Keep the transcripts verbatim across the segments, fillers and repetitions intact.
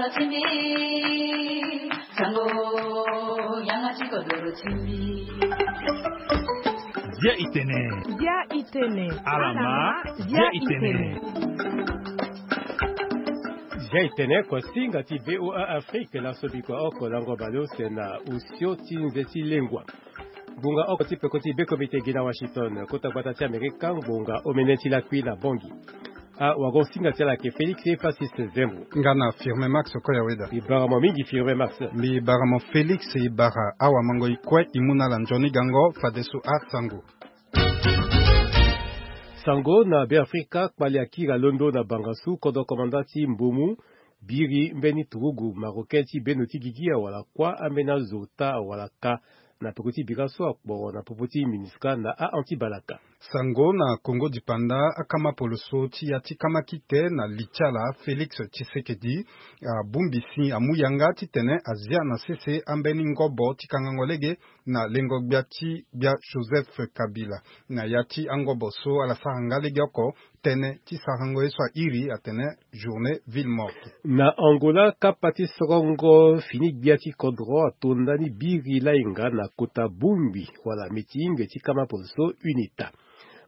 Dia itene. Dia itene. Alama. Dia itene. Dia itene kua singa ti VOA Afrique na sobi kua oko lango baleuse na usio ti nze ti lengua. Ngbonga oko ti peko ti be komite gi na Washington, kota gbata ti Amerika, ngbonga omene ti lakui na Bongi. Awago singa ti ala ayeke Félix Francis Zembo. Nga na Firme Max Okoya Weda. Mbi bara mo mingi Firme Max. Mbi bara mo Félix, e bara awamango e kue e mu na ala nzoni gango fadeso asango. Sango na Beafrika, kpale akiri alondo na bangasu kodro komanda ti Mbomu, biri mbeni turugu marocain ti beno ti gigi awala kuâ ambeni azo ota awala ka na peko ti bira so akporo na popo ti MINUSCA na a-an ti balaka. Sango na Kongo dipanda, akama poloso ti ya ti kama kite na li ti ala Félix Tshisekedi abongbi si amu yanga titene azia na sese ambeni ngobo ti kangango lege na lengo gbia ti gbia Joseph Kabila. Na ya ti angobo so ala sara nga lege oko, tënë ti sarango ye so airi atene journée ville morte. Na Angola, kapa ti sorongo fini gbia ti kodro ato ndani biri layenga na kota bongbi wala meeting ti kama poloso UNITA.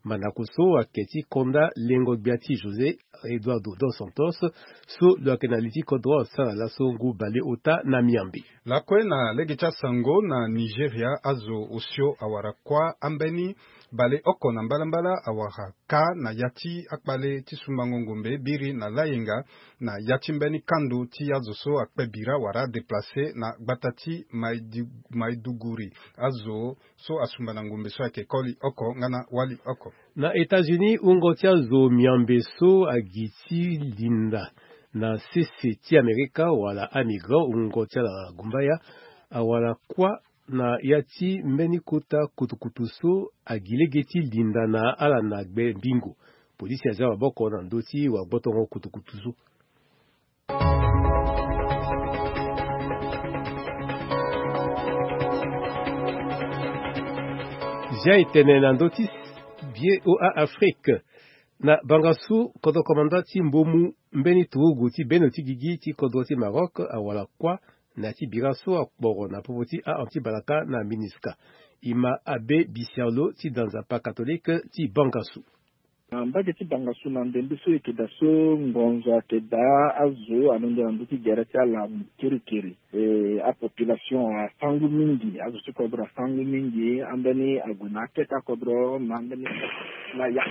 Mandako so ayeke ti konda lengo gbia ti José Eduardo dos Santos, so lo yeke na li ti kodro asara laso ngu baleota na miambe. Lakue na lege ti asango na Nigeria, azo osio awara kuâ ambeni baleoko na mbalambala awara ka na ya ti akpale ti sumbango ngombe biri na layenga na ya ti mbeni kando ti azo so akpe bira wala adéplacer na gbata ti Maidu-, Maiduguri. Azo so asumba na ngombe so ayeke koli oko nga na wali oko. Na États-Unis, wungo ti azo miambe so agi ti linda na sese ti Amerika wala amigrant, wungo ti ala gumbaya, awara kuâ na ya ti mbeni kota kutukutu so agi lege ti linda na ala na gbe mbingo. Polisi azia maboko na ndö ti wagbotongo kutukutu so. Zia etene na ndö ti VOA Afrique. Na bangasu, kodro komanda ti Mbomu, mbeni turugu ti beno ti gigi ti kodro ti Maroc awara kuâ na ya ti bira so akporo na popo ti a-an ti balaka na MINUSCA. E ma Abbé Bisialo ti da nzapa catholique ti Bangasu. Na mbage ti Bangasu, na ndembe so e yeke daa so, ngonzo ayeke daa, azo alondo na ndö ti gere ti ala kirikiri. E, apopulation asangu mingi, azo ti kodro asangu mingi, ambeni ague na akete akodro, na ambeni na ya.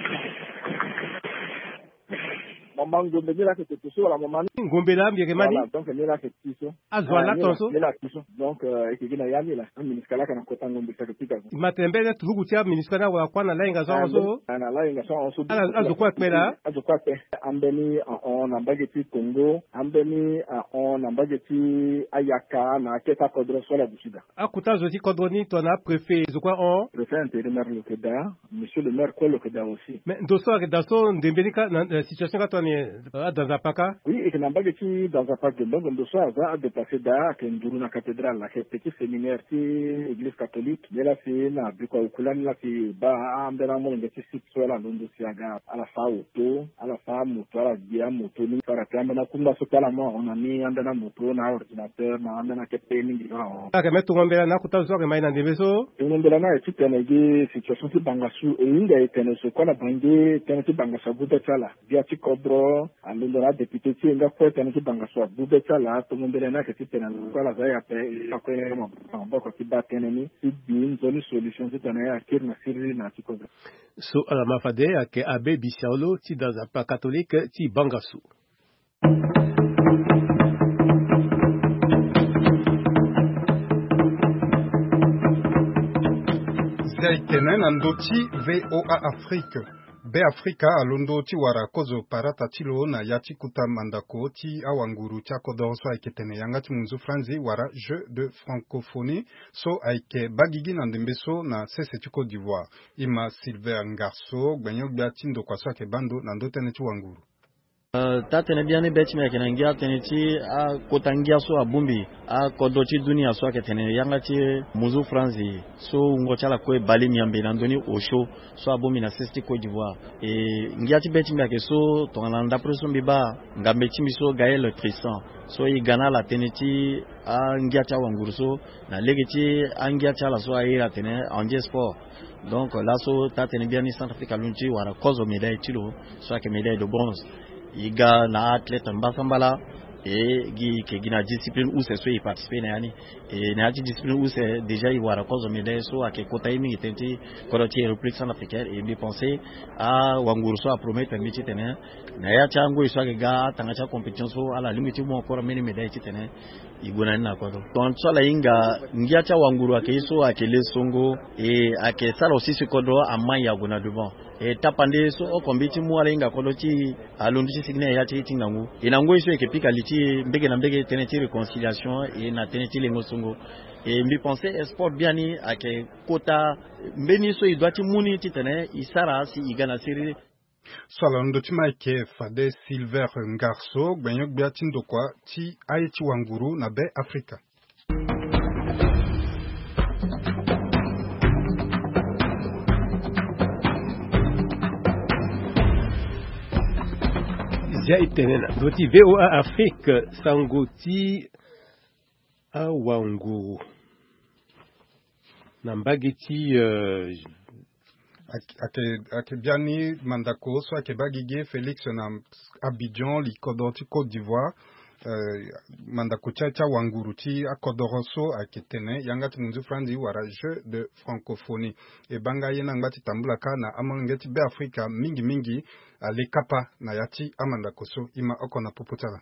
Mo ma ngombe ni laa ayeke toto so wala mo ma ni? Ngombe laa mbi yeke ma ni. Voilà, donc ni laa ayeke ti so. Azo ala ton so? Ni laa ti so. Donc, euh, e yeke gi na ya ni laa. A-MINUSCA laa ayeke na kota ngombe so ayeke ti ga so. Ma tene mbeni turugu ti a-MINUSCA ni awara kuâ na layenga so ahon so? Ah, na layenga so ahon so. Ala, azo kue akpe laa? Azo kue akpe. Ambeni ahon na mbage ti Congo, ambeni ahon na mbage ti ayaka na akete akodro so ala duti daa. Akota zo ti kodro ni tongana apréfet zo kue ahon? Préfet intérimaire lo yeke daa. Monsieur le maire kue lo yeke daa aussi. Mais ndo so ayeke daa so, ndembe ni kâ na, na situation ni kâ tongana nyen, ada nzapa kâ? Oui, e yeke na mbage ti da nzapa ge, donc ndo so aza adéplacer daa, ayeke nduru na cathédrale, ayeke petit séminaire ti église catholique. Nde laa si na bikua oku lani laa si e baa ambeni amolenge ti site so ala londo si aga, ala fâ auto, ala fâ amoto, ala gbe amoto ni, ala ti ambeni akungba so ti ala mu ahon na ni, ambeni amoto na aordinateur na ambeni akete mingi so ahon. Ayeke me tongo mbela na akota zo so ayeke ma e na ndembe so? Tongo mbela ni ayeke titene gi situation ti Bangasu e hinga e tene zo kue na Bangui, tënë ti Bangasu agu be ti ala. Gbia ti kodro alondo na adéputé ti e nga kue, tënë ti Bangasu agu be ti ala. Tongo mbela ni ayeke titene zo kue ala za e ape, e kue maboko ti baa tënë ni ti gbi nzoni solution titene akiri na siriri na ya ti kodro. So ala ma fade ayeke Abbé Bisiaolo ti da nzapa catholique ti Bangasu. Zia etene na ndö ti VOA Afrique. Beafrika alondo ti wara kozo parata ti lo na ya ti kota mandako ti awanguru ti akodoro so ayeke tene yanga ti munzu franzi wala Jeux de francophonie so ayeke baa gigi na ndembe so na sese ti Côte d'Ivoire. E ma Silver Ngarso, gbenyo-gbia ti ndokua so ayeke baa ndo na ndö tënë ti wanguru. Taa tënë biani be ti mbi ayeke na ngia tënë ti akota ngia so abongbi akodro ti dunia so ayeke tene yanga ti munzu franzi so wungo ti ala kue bale miambe na ndoni osio so abongbi na sese ti Côte d'Ivoire. E ngia ti be ti mbi ayeke so tongana ndapre so mbi baa ngambe ti mbi so Gaël Tristan so e ga na ala tënë ti angia ti awanguru so na lege ti angia ti ala so aye atene Angie Sport. Donc laso taa tënë biani Centrafrique alondo ti wara kozo médaille ti lo so ayeke médaille de bronze. E ga na athlète mbasambala e gi e yeke gi na discipline use so e participer na ya ni. E na ya ti discipline use déjà e wara kozo médaille so ayeke kota ye mingi tënë ti kodro ti République Centrafricaine. E mbi pense awanguru so apromettre mbi titene na ya ti angoi so ayeke ga atanga ti acompétition so ala lingbi ti mu encore mbeni médaille titene e gue na ni na kodro. Tongana so ala hinga ngia ti awanguru ayeke ye so ayeke le songo e ayeke sara aussi si kodro amai ague na devant. E tapande so oko mbi ti mu ala hinga kodro ti alondo ti sigi ni na ya ti ti ngangu. E na ngoi so e yeke pika li ti e mbege na mbege tënë ti réconciliation e na tënë ti lengo songo. E mbi pense e sport biani ayeke kota mbeni so e doit ti mu ni titene e sara si e ga na siriri. So ala londo ti ma ayeke fade Silver Ngarso, gbenyo-gbia ti ndokua ti aye ti wanguru na Be Afrika. Zia e tene na ndö ti V O A Afrique, sango ti awanguru na mbage ti, euh, ake, ake, ake biani mandako so ake baa gigi Félix na Abidjan, li kodro ti Côte d'Ivoire. Euh, mandako ti, ti awanguru ti akodoro so ayeke tene yanga ti munzu franzi wala Jeux de francophonie. E baa nga ye ni angba ti tambula kâ na amolenge ti Be Afrika mingi mingi ale kapa na ya ti amandako so. E ma oko na popo ti ala.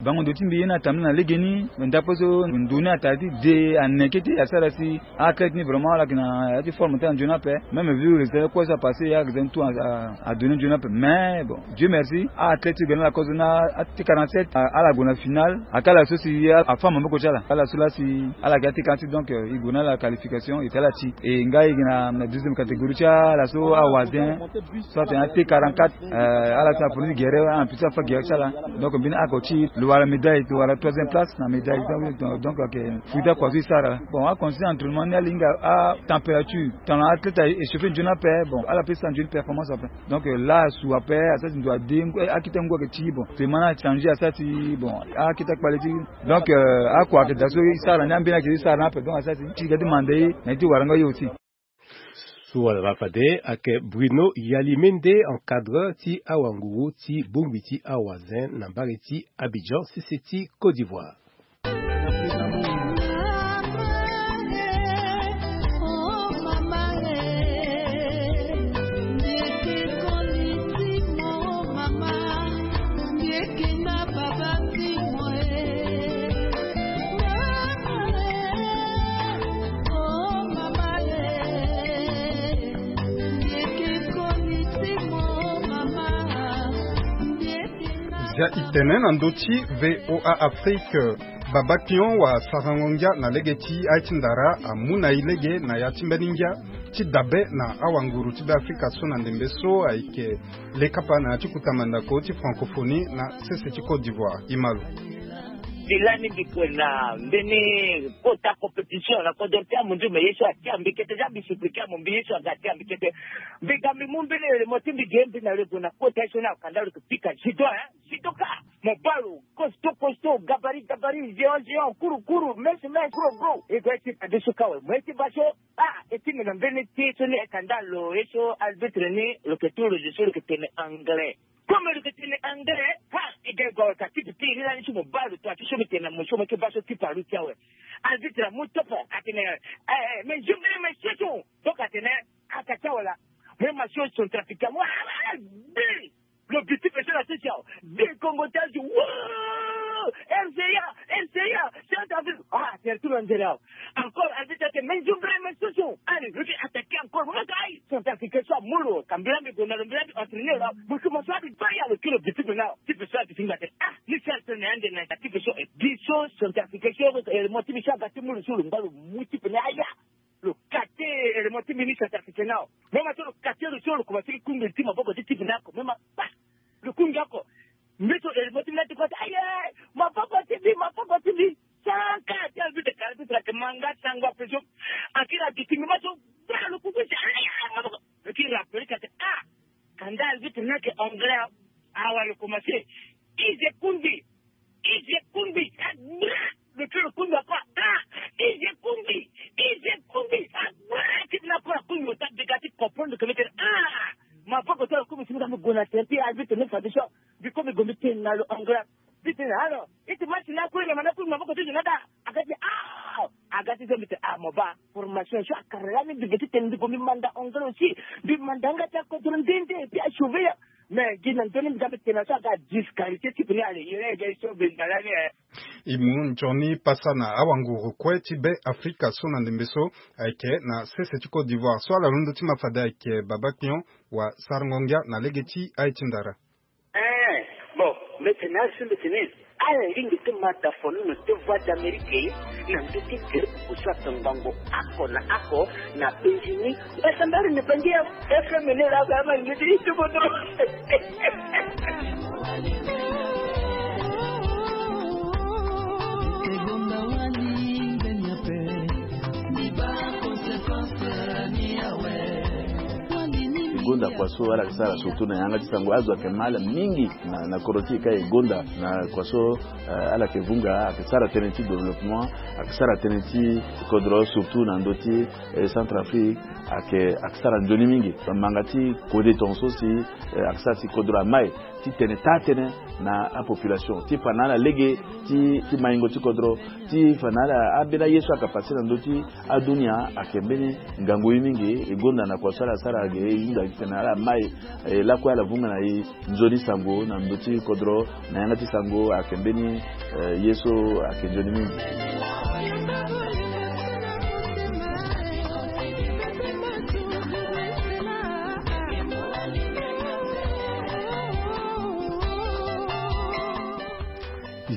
Bango ndo ti mbi ye ni atambula na legeni, ndapre so ndo ni atara ti de aneke ti asara si athlète ni vraiment ala yeke na ya ti forme ti ala nzoni ape. Même vu résultat kue so apasse, ala yeke za ni tout a, a, adonne nzoni ape. Mais bon, Dieu merci, athlète ti ga na ala kozo na a T quarante-sept, a, ala gue na finale. Akala so si a, afa maboko ti ala. Ala so la si ala yeke a T quarante-sept, donc, euh, e gue na ala qualification, e ti ala ti. E nga e yeke na, na deuxième catégorie ti ala so awazin. So atene a T quarante-quatre, euh, ala so na premier guerre, en plus afa guerre ti ala. Donc mbeni oko ti lo wara médaille, lo wara troisième place na médaille. Donc, donc, donc, ok, fouida kua so e sara. Bon, acondition entraînement ni ala hinga atempérature. Tongana athlète a échauffé nzoni ape, bon, ala peut sara nzoni performance ape. Donc, euh, la asu ape, asara ti ndo ade, akete ngu ayeke ti, bon, vraiment na changer, asara ti, bon, akete akpale ti. Donc, euh, akua ayeke daa so e sara ni, ambeni ayeke so e sara ni ape, donc asara ti, ti ga ti manda ye, na ye ti wara nga ye aussi. So wala ma fade ayeke Bruno Yalimende, encadreur ti awanguru ti bongbi ti awazin na mbage ti Abidjan, sese ti Côte d'Ivoire. Zia e tene na ndö ti V O A Afrique, Baba Pion wa sarango ngia na lege ti aye ti ndara amu na e lege na ya ti mbeni ngia ti dabe na awanguru ti Be Afrika so na ndembe so ayeke le kapa na ya ti kota mandako ti francophonie na sese ti Côte d'Ivoire. E ma lo. Mbi lani mbi kue na mbeni kota compétition na kodro ti amunzu, me ye so atia mbi kete, za mbi suppliquer amu mbi, ye so aga atia mbi kete. Mbi ga mbi mu mbeni élément ti mbi ge mbi na lo e gue na kota ye so ni akanda lo yeke pika judo, hein, judoka. Mo baa lo costaud, costaud, gabarit, gabarit, géant, géant, kuru, kuru, mince, mince, gros, gros. E gue ti adesso kâ awe, mo ye ti baa so. Ah, e ti mbi na mbeni ti so ni e kanda lo, ye so arbitre ni lo yeke tu lo zo so lo yeke tene anglais. Comme lo yeke tene anglais, ha, e ga e gue awe ka tipi ti e ni lani so mo baa lo tonga ti so mbi tene na mo so mo ye ti baa so tipa lo ti awe. Arbitre amu topo atene, eh, eh, mais je me, mais je suis. Donc atene, aka ti awe laa. Mais ma so centrafricain, mo, ah, ah, ah, bi. Lo bi ti pe so na sisi awe. Bi Congo ti azo. Wow! R C A, R C A, Centrafrique. Ah, c'est tout le monde là. Encore, arbitre ake, mais je me, mais je suis. Allez, lo bi attaquer encore. Mo ka aye. Centrafricain so amu lo, ka mbela mbi gue na lo, mbela mbi entraîner lo. Mo so mo so abi baa ya lo kiri lo bi ti pe na. Ti pe so abi ti ngba tene. Ah, ni si entraîner ande na ti pe so, eh, bi so centrafricain so, eh, mo ti bi so aga ti mu lo so lo ngba lo mu ti pe na aya. Lo kate élément ti mbi ni centrafricain na awe. Même so lo kate lo so lo commencé ti kungbi ti maboko ti ti mbi na oko. Même pa. Lo kungbi oko. Mbi so eri mo ti mbi na ti kua ti aye, maboko ti mbi, maboko ti mbi. Saka ti albi te kara ti sara ke manga sango ape so. Akiri agi ti mbi ma so. Bra lo kuku si aye maboko. Lo ti rapele ka te ah. Kanda albi te na ke anglais. Awa lo commencé. Ize kundi. Ize kundi. Ah, bra. Lo ti lo kundi ape ah. Ize kundi. Ize kundi. Ah, bra. Ti mbi na kora kundi lo ta dega ti comprendre ke mbi tene ah. Maboko ti lo kundi si mbi ka mbi gue na tene ti albi te na fade so. Mbi kue mbi gue mbi tene na lo anglais. Mbi tene na lo. Iti ma si na kue na ma na kue maboko ti zo na da. Aga ti ah. Aga ti zo mbi tene ah mo baa. Formation so akara lani mbi ge ti tene mbi gue mbi manda anglais aussi. Mbi manda yanga ti akodro nde nde et puis asauve ya. Mais gi na ndoni mbi ga mbi tene na so aga disqualifié ti puni ale yere ege so mbi nda lani eh. E mu nzoni pasa na awanguru kue ti Be Afrika so na ndembe so. Ayeke na sese ti Côte d'Ivoire so ala londo ti ma fade ayeke Baba Kpion wa sarango ngia na lege ti aye ti ndara. Eh, bon, mbi tene azo mbi tene ala lingbi ti ma da fono na te Voix d'Amérique na ndö ti tere koko so atongbango oko na oko na penzi ni. Mbi samba ala na bangi ya F M ni la ba ma ngi ti ti bodo. E gonda kua so ala yeke sara surtout na yanga ti sango azo ayeke ma ala mingi na, na kodro ti e ka e gonda na kua so, eh, ala yeke vunga ayeke sara tënë ti développement, ayeke sara tënë ti kodro surtout na ndö ti, eh, Centrafrique, ayeke, ayeke sara nzoni mingi. Bamanga ti kode tongaso si, eh, ayeke sara si kodro amai ti tene taa-tënë na apopulation ti fa na ala lege ti, ti maingo ti kodro, ti fa na ala ambeni aye so ayeke passe na ndö ti adunia ayeke mbeni ngangu ye mingi. E gonda na kua so ala sara ge e hunda titene ala mai, eh, lakue ala vunga na e nzoni sango na ndö ti kodro na yanga ti sango ayeke mbeni, eh, ye so ayeke nzoni mingi.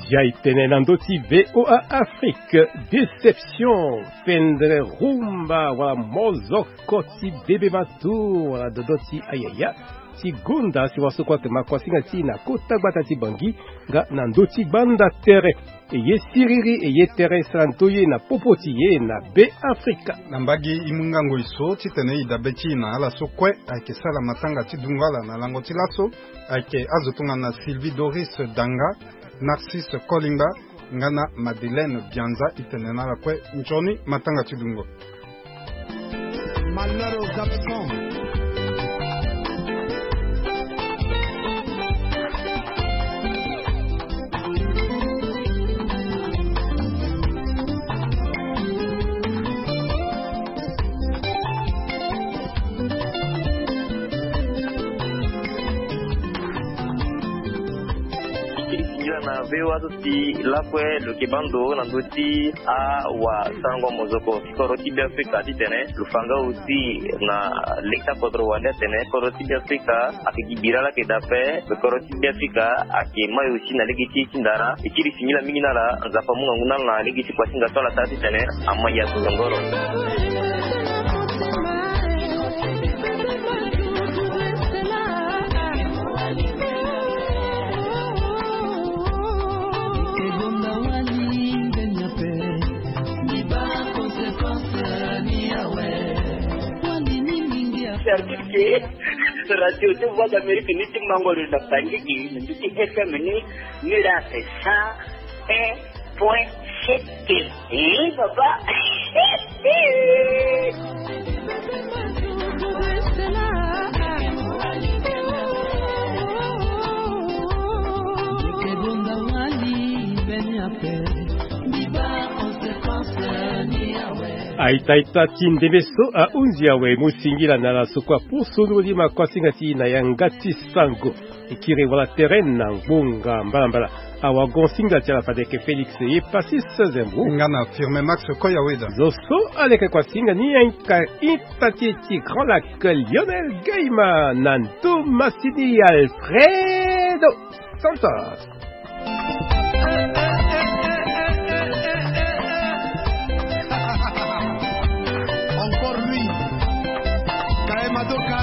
Zia e tene na ndö ti V O A Afrique, déception, fendre rumba wala mozoko ti bebe matu wala dodo ti ayaya ti gonda si wasoko ayeke ma kuasinga ti e na kota gbata ti Bangui nga na ndö ti gbanda tere. E ye siriri e ye tere e sara ndoye na popo ti e na Be Afrika. Na mbage e mu ngangu e so titene e dabe ti e na ala so kue ayeke sara matanga ti dungo ala na lango ti laso. Ayeke azo tongana Sylvie Doris Danga, Narcisse Kolingba nga na Madeleine Bianza. E tene na ala kue nzoni matanga ti dungo. Malheur aux absents. Singila na V O A so si lakue lo yeke baa ndo na ndö ti awasarango mozoko ti kodro ti Be Afrika titene lo fa nga aussi na lege ti akodro wande atene kodro ti Be Afrika ayeke gi bira laa ayeke daa ape. Kodro ti Be Afrika ayeke mai aussi na lege ti e ti ndara. E kiri singila mingi na ala, Nzapa amu ngangu na ala na lege ti kuasinga so ala sara titene amai ya tongoro. Service ke radio ti Voix d'Amérique ni ti mango lo na Bangui, na ndö ti F M ni, ni la c'est cent un point sept. Eh, papa. Aita-ita ti ndembe so ahunzi awe, mo singila na ala so kue apusu nduru ti makuasinga ti e na yanga ti sango. E kiri wala tere na ngbonga mbalambala. Awagonsinga ti ala fade ayeke Félix ye Passis Zembo. Nga na Firme Max Koyaweda. Zo so aleke kuasinga ni ayeke ita ti e ti Grand Lac, Lionel Gaima, na ndo masini Alfredo Santos. Encore lui. Kaye Madoka,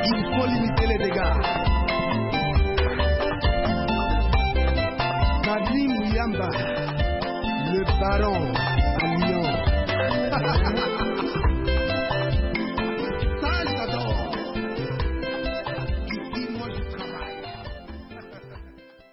il faut limiter les dégâts. Salon